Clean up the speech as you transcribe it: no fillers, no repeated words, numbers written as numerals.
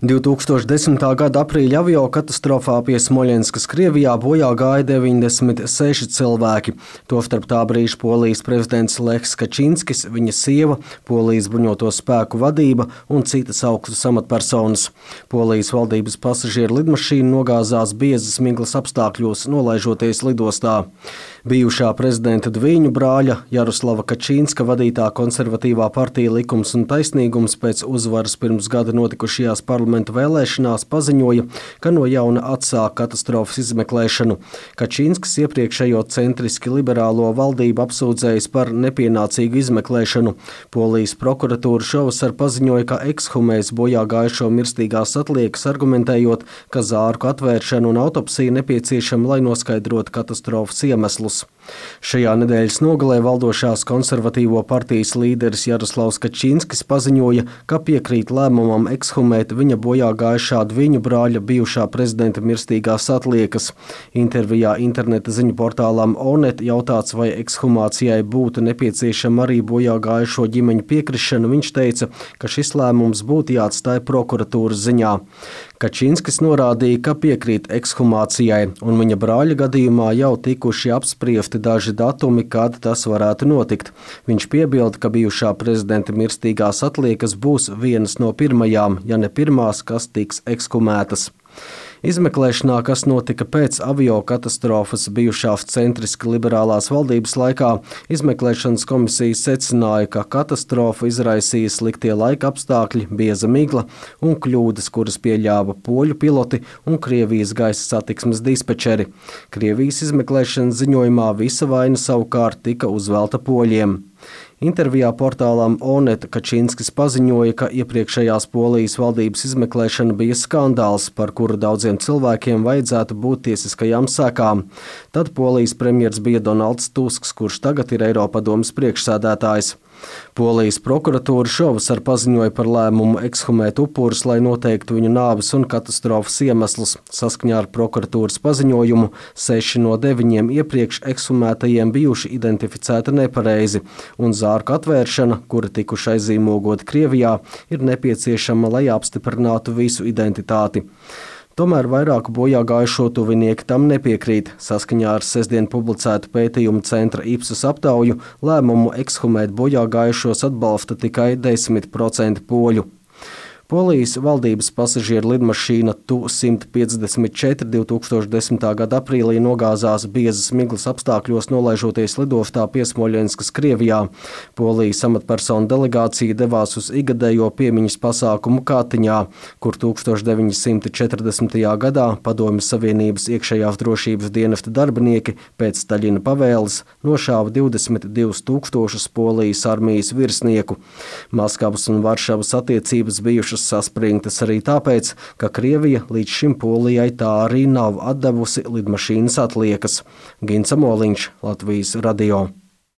2010. gada aprīļa aviokatastrofā pie Smoļenskas, Krievijā bojā gāja 96 cilvēki. Tostarp tā brīža Polijas prezidents Lechs Kačinskis, viņa sieva, Polijas bruņoto spēku vadība un citas augstas amatpersonas. Polijas valdības pasažieru lidmašīna nogāzās biezas miglas apstākļos, nolaižoties lidostā. Bijušā prezidenta Dviņu brāļa Jaroslava Kačinska vadītā konservatīvā partija Likums un taisnīgums pēc uzvaras pirms gada notikušajās parlamentu vēlēšanās paziņoja, ka no jauna atsāk katastrofas izmeklēšanu. Kačinskis iepriekšējo centriski liberālo valdību apsūdzējis par nepienācīgu izmeklēšanu. Polijas prokuratūra šovasar paziņoja, ka ekshumēs bojā gājušo mirstīgās atliekas, argumentējot, ka zārku atvēršana un autopsija nepieciešama, lai noskaidrotu katastrofas iemeslus. Šajā nedēļas nogalē valdošās konservatīvo partijas līderis Jaroslavs Kačinskis paziņoja, ka piekrīt lēmumam ekshumēt viņa bojā gājušā Dviņu brāļa bijušā prezidenta mirstīgās atliekas. Intervijā interneta ziņu portālām Onet jautāts, vai ekshumācijai būtu nepieciešama arī bojā gājušo ģimeņu piekrišana, viņš teica, ka šis lēmums būtu jāatstāj prokuratūras ziņā. Kačinskis norādīja, ka piekrīt ekshumācijai, un viņa brāļa gadījumā jau tikuši apspriesti daži datumi, kad tas varētu notikt. Viņš piebilda, ka bijušā prezidenta mirstīgās atliekas būs vienas no pirmajām, ja ne pirmās, kas tiks ekshumētas. Izmeklēšanā, kas notika pēc aviokatastrofas bijušās centriski liberālās valdības laikā, izmeklēšanas komisija secināja, ka katastrofu izraisīja sliktie laika apstākļi, bieza migla un kļūdas, kuras pieļāva poļu piloti un Krievijas gaisa satiksmes dispečeri. Krievijas izmeklēšanas ziņojumā visa vaina savukārt tika uzvelta poļiem. Intervijā portālām Onet Kačinskis paziņoja, ka iepriekšējās Polijas valdības izmeklēšana bija skandāls, par kuru daudziem cilvēkiem vajadzētu būt tiesiskajām sekām. Tad Polijas premjers bija Donalds Tusks, kurš tagad ir Eiropadomes priekšsēdētājs. Polijas prokuratūra šovasar paziņoja par lēmumu ekshumēt upurus, lai noteiktu viņu nāves un katastrofas iemeslus. Saskaņā ar prokuratūras paziņojumu 6 no 9 iepriekš ekshumētajiem bijuši identificēti nepareizi, un zārku atvēršana, kura tikuši aizīmogoti Krievijā, ir nepieciešama, lai apstiprinātu visu identitāti. Tomēr vairāku bojā gājušo tuvinieki tam nepiekrīt. Saskaņā ar sestdien publicētu pētījumu centra Ipsos aptauju lēmumu ekshumēt bojā gājušos atbalsta tikai 10% poļu. Polijas valdības pasažieru lidmašīna Tu-154 2010. gada aprīlī nogāzās biezas miglas apstākļos, nolaižoties lidostā pie Smoļenskas, Krievijā. Polijas amatpersonu delegācija devās uz igadējo piemiņas pasākumu Kātiņā, kur 1940. gadā Padomju Savienības iekšējās drošības dienesta darbinieki pēc Staļina pavēles nošāva 22 000 Polijas armijas virsnieku. Maskavas un Varšavas attiecības bijušas saspringtas arī tāpēc, ka Krievija līdz šim Polijai tā arī nav atdevusi lidmašīnas atliekas. Gins Amoliņš, Latvijas radio.